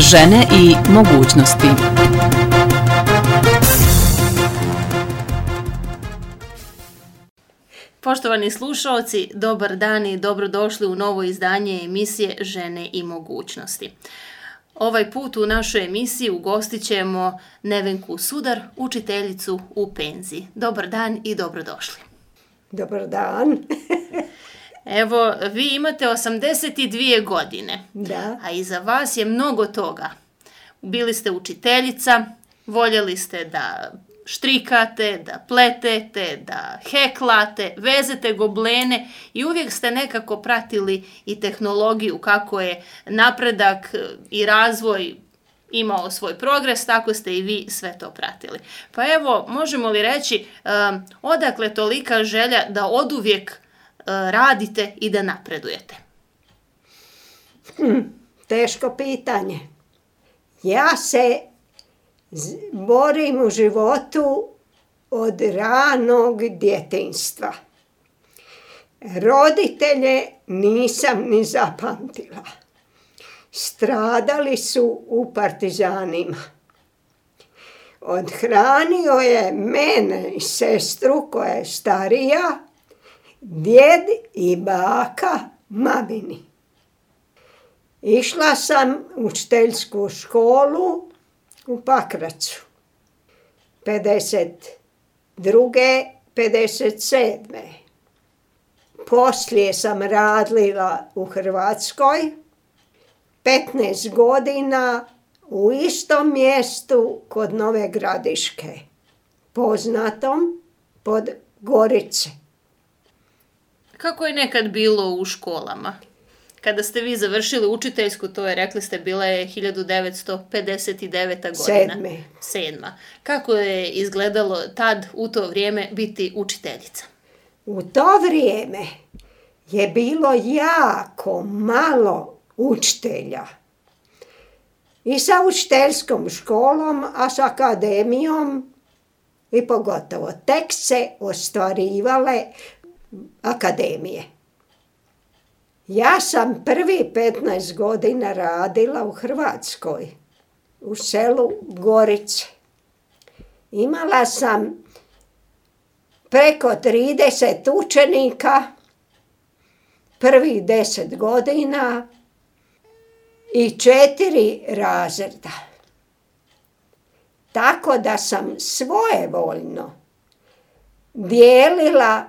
Žene i mogućnosti. Poštovani slušaoci, dobar dan i dobrodošli u novo izdanje emisije Žene i mogućnosti. Ovaj put u našoj emisiji ugostit ćemo Nevenku Sudar, učiteljicu u penziji. Dobar dan i dobrodošli. Dobar dan. Evo, vi imate 82 godine, Da. a iza vas je mnogo toga. Bili ste učiteljica, voljeli ste da štrikate, da pletete, da heklate, vezete goblene i uvijek ste nekako pratili i tehnologiju, kako je napredak i razvoj imao svoj progres, tako ste i vi sve to pratili. Pa evo, možemo li reći odakle tolika želja da oduvijek radite i da napredujete? Teško pitanje. Ja se borim u životu od ranog djetinjstva. Roditelje nisam ni zapamtila. Stradali su u partizanima. Odhranio je mene i sestru koja je starija, djed i baka mamini. Išla sam u učiteljsku školu u Pakracu. 52. 57. Poslije sam radila u Hrvatskoj 15 godina u istom mjestu kod Nove Gradiške, poznatom pod Gorice. Kako je nekad bilo u školama? Kada ste vi završili učiteljsku, to je, rekli ste, bila je 1959. godina. Sedma. Kako je izgledalo tad, u to vrijeme, biti učiteljica? U to vrijeme je bilo jako malo učitelja. I sa učiteljskom školom, a s akademijom i pogotovo. Tek se ostvarivale akademije. Ja sam prvi 15 godina radila u Hrvatskoj, u selu Gorice. Imala sam preko 30 učenika, prvih 10 godina i 4 razreda. Tako da sam svojevoljno dijelila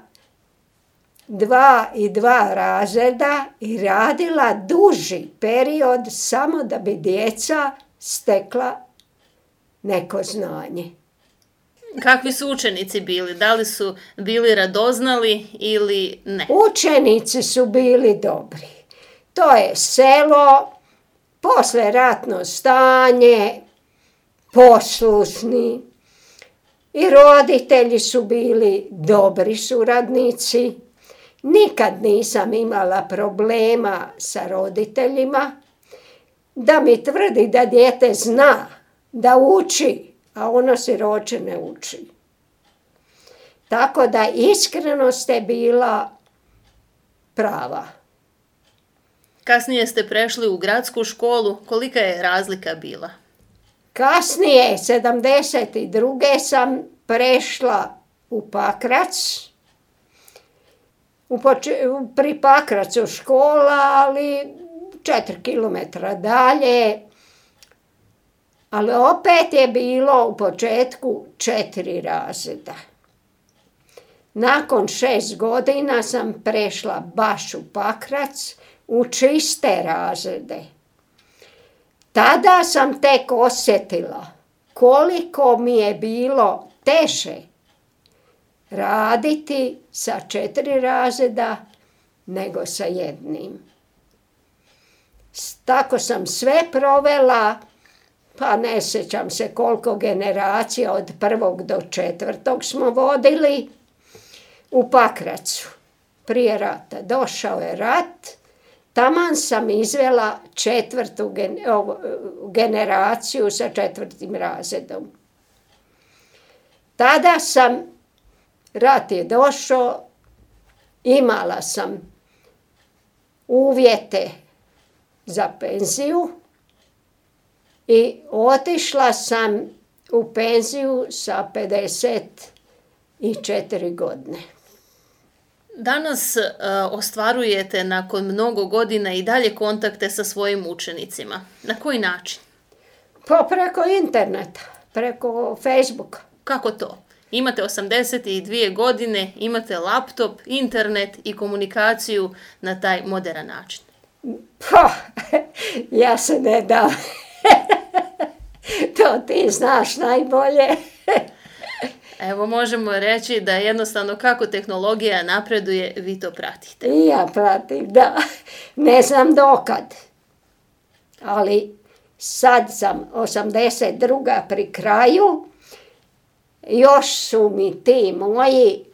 2 i 2 razreda i radila duži period samo da bi djeca stekla neko znanje. Kakvi su učenici bili? Da li su bili radoznali ili ne? Učenici su bili dobri. To je selo, poslijeratno stanje, poslušni i roditelji su bili dobri suradnici. Nikad nisam imala problema sa roditeljima da mi tvrdi da dijete zna, da uči, a ono siroče ne uči. Tako da iskrenost je bila prava. Kasnije ste prešli u gradsku školu. Kolika je razlika bila? Kasnije, 72. sam prešla u Pakrac. Pri Pakracu škola, ali 4 kilometra dalje. Ali opet je bilo u početku 4 razreda. Nakon 6 godina sam prešla baš u Pakrac u čiste razrede. Tada sam tek osjetila koliko mi je bilo teže raditi sa 4 razreda nego sa 1. Tako sam sve provela, pa ne sjećam se koliko generacija od 1. do 4. smo vodili u Pakracu. Prije rata. Došao je rat, taman sam izvela 4. generaciju sa 4. razredom. Tada rat je došao, imala sam uvjete za penziju I otišla sam u penziju sa 54 godine. Danas ostvarujete nakon mnogo godina i dalje kontakte sa svojim učenicima. Na koji način? Pa preko interneta, preko Facebooka. Kako to? Imate 82 godine, imate laptop, internet i komunikaciju na taj moderan način. Pa, ja se ne dam. To ti znaš najbolje. Evo, možemo reći da jednostavno kako tehnologija napreduje, vi to pratite. I ja pratim, da. Ne znam dokad. Ali sad sam 82. pri kraju. Još su mi ti moji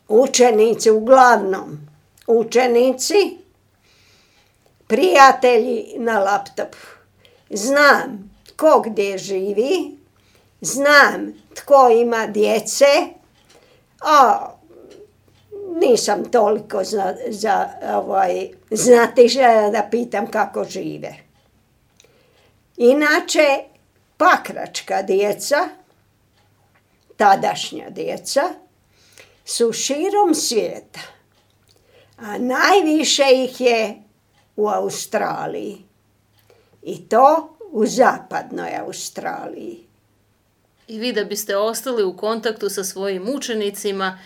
učenici, uglavnom učenici, prijatelji na laptopu. Znam tko gdje živi, znam tko ima djece, a nisam toliko znatiželja da pitam kako žive. Inače, pakračka djeca, tadašnja djeca, su širom svijeta, a najviše ih je u Australiji. I to u zapadnoj Australiji. I vi da biste ostali u kontaktu sa svojim učenicima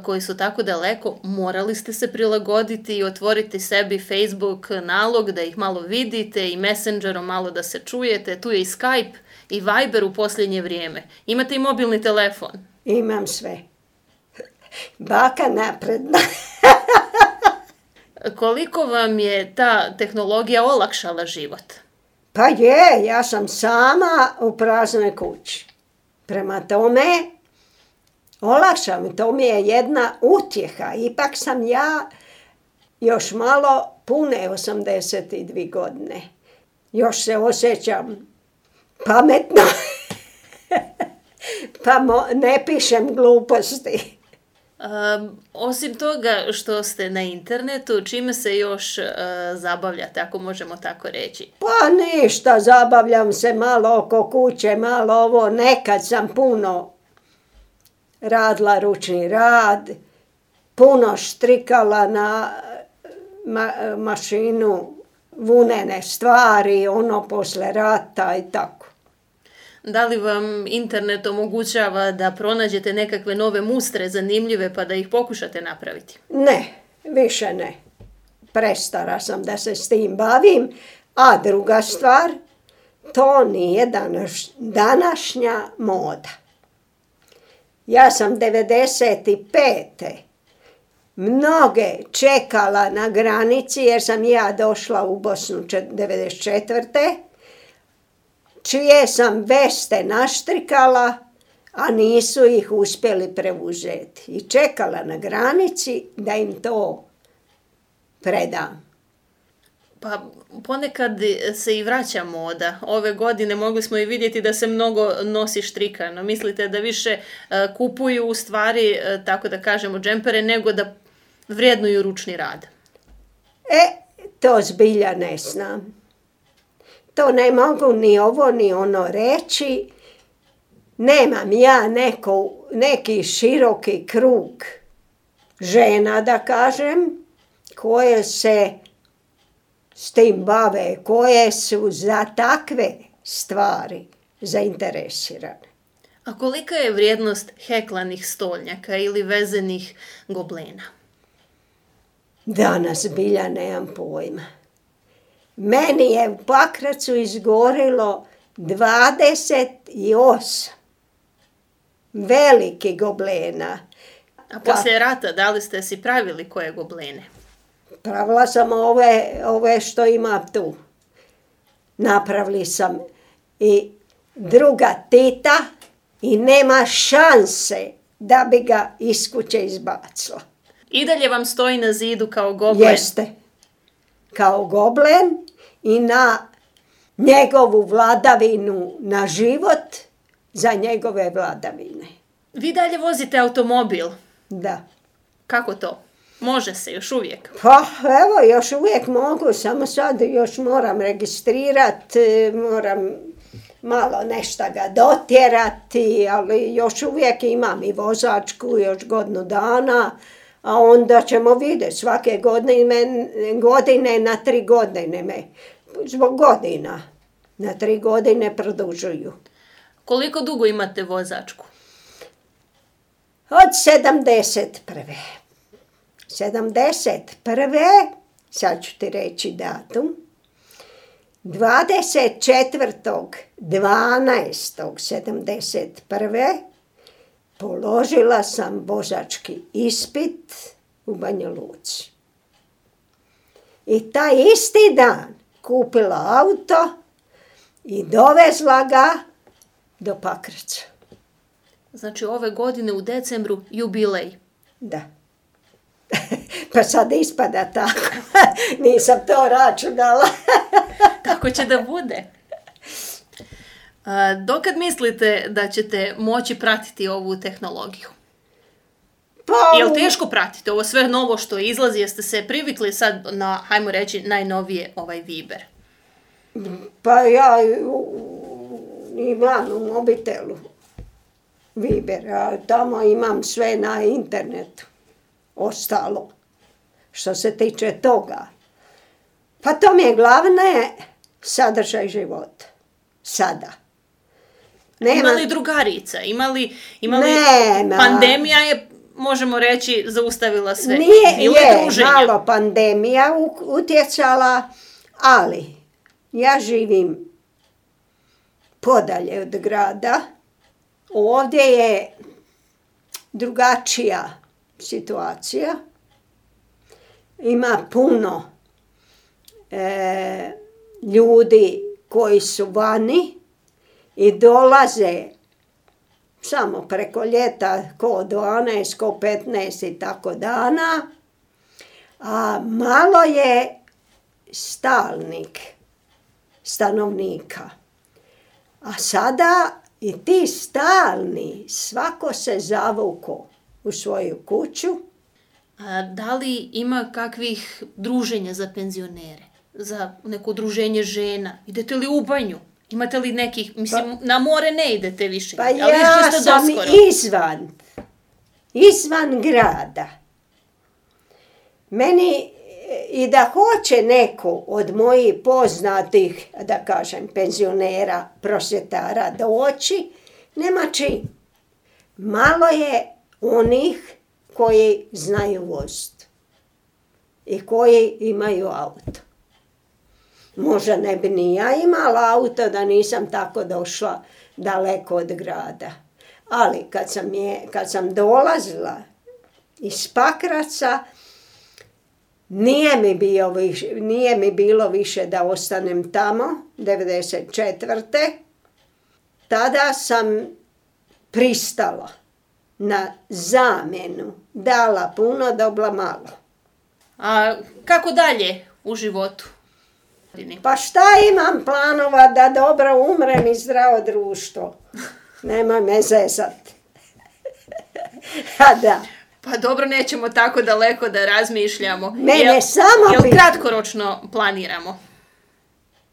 koji su tako daleko, morali ste se prilagoditi i otvoriti sebi Facebook nalog da ih malo vidite i Messengerom malo da se čujete. Tu je i Skype i Viber u posljednje vrijeme. Imate i mobilni telefon. Imam sve. Baka napredna. Koliko vam je ta tehnologija olakšala život? Pa je, ja sam sama u praznoj kući. Prema tome, olakšam, to mi je jedna utjeha. Ipak sam ja još malo pune 82 godine. Još se osjećam pametno, pa ne pišem gluposti. Osim toga što ste na internetu, čime se još zabavljate, ako možemo tako reći? Pa ništa, zabavljam se malo oko kuće, malo ovo. Nekad sam puno radila ručni rad, puno štrikala na mašinu, vunene stvari, ono posle rata i tako. Da li vam internet omogućava da pronađete nekakve nove mustre zanimljive pa da ih pokušate napraviti? Ne, više ne. Prestara sam da se s tim bavim. A druga stvar, to nije današnja moda. Ja sam 95. mnoge čekala na granici jer sam ja došla u Bosnu 94. čije sam veste naštrikala, a nisu ih uspjeli preuzeti. I čekala na granici da im to predam. Pa ponekad se i vraća moda. Ove godine mogli smo i vidjeti da se mnogo nosi štrikano. Mislite da više kupuju u stvari, tako da kažemo, džempere, nego da vrijednuju ručni rad? To zbilja ne znam. To ne mogu ni ovo ni ono reći. Nemam ja neki široki krug žena, da kažem, koje se s tim bave, koje su za takve stvari zainteresirane. A kolika je vrijednost heklanih stolnjaka ili vezenih goblena? Danas bilja nemam pojma. Meni je u Pakracu izgorilo 28 veliki goblena. A poslije rata da li ste si pravili koje goblene? Pravila sam ove što ima tu. Napravili sam i druga tita i nema šanse da bi ga iz kuće izbacila. I dalje vam stoji na zidu kao goblen? Jeste. Kao goblen i na njegovu vladavinu na život za njegove vladavine. Vi dalje vozite automobil? Da. Kako to? Može se još uvijek. Pa evo, još uvijek mogu, samo sad još moram registrirati, moram malo nešto ga dotjerati, ali još uvijek imam i vozačku još godinu dana, a onda ćemo vidjeti svake godine na 3 godine me, zbog godina, na 3 godine produžuju. Koliko dugo imate vozačku? Od 71. 71. Sad ću ti reći datum. 24.12.71. položila sam vozački ispit u Banja Luci. I taj isti dan kupila auto i dovezla ga do Pakraca. Znači ove godine u decembru jubilej. Da. Pa sad ispada tako. Nisam to računala. Tako će da bude. Dokad mislite da ćete moći pratiti ovu tehnologiju? Pa, Jel teško pratiti ovo sve novo što izlazi? Jeste se privikli sad na, hajmo reći, najnovije Viber? Pa ja imam u mobitelu Viber, a tamo imam sve na internetu. Ostalo, što se tiče toga. Pa to mi je glavne sadržaj života. Sada. Ima li drugarica? Ima li Nema. Pandemija je, možemo reći, zaustavila sve. Nije, je druženja. malo pandemija utjecala, ali ja živim podalje od grada. Ovdje je drugačija situacija. Ima puno ljudi koji su vani i dolaze samo preko ljeta, ko 12, ko 15 i tako dana. A malo je stanovnika. A sada i ti stalni, svako se zavuko u svoju kuću. Da li ima kakvih druženja za penzionere? Za neko druženje žena? Idete li u banju? Imate li nekih, mislim, na more ne idete više? Pa ali ja ste sam doskoro. izvan grada. Meni i da hoće neko od mojih poznatih, da kažem, penzionera, prosvjetara doći, nema čim. Malo je onih koji znaju voziti i koji imaju auto. Možda ne bi ni ja imala auto da nisam tako došla daleko od grada. Ali kad sam dolazila iz Pakraca, nije mi bilo više da ostanem tamo, 94. Tada sam pristala na zamjenu, dala puno, dobila malo. A kako dalje u životu? Pa šta imam planova da dobro umrem i zdravo društvo? Nemoj me zezat. A da. Pa dobro, nećemo tako daleko da razmišljamo. Mene samo Jel kratkoročno planiramo?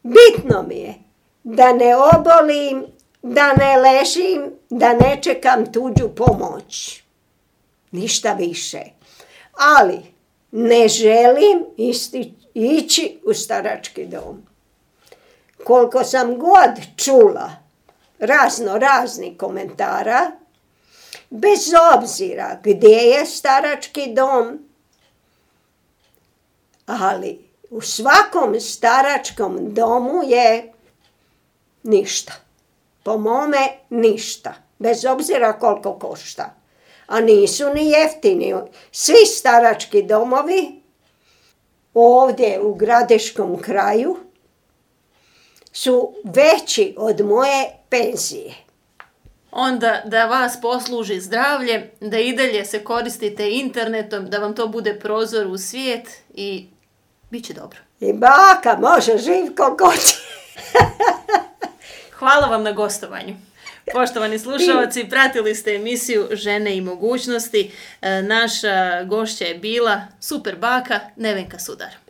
Bitno mi je da ne obolim, da ne ležim, da ne čekam tuđu pomoć. Ništa više. Ali ne želim ići u starački dom. Koliko sam god čula raznih komentara, bez obzira gdje je starački dom, ali u svakom staračkom domu je ništa. Po mome ništa. Bez obzira koliko košta. A nisu ni jeftini. Svi starački domovi ovdje u Gradiškom kraju su veći od moje penzije. Onda da vas posluži zdravlje, da i dalje se koristite internetom, da vam to bude prozor u svijet i bit će dobro. I baka može živ ko hoće. Hvala vam na gostovanju. Poštovani slušalci, pratili ste emisiju Žene i mogućnosti. Naša gošća je bila super baka Nevenka Sudar.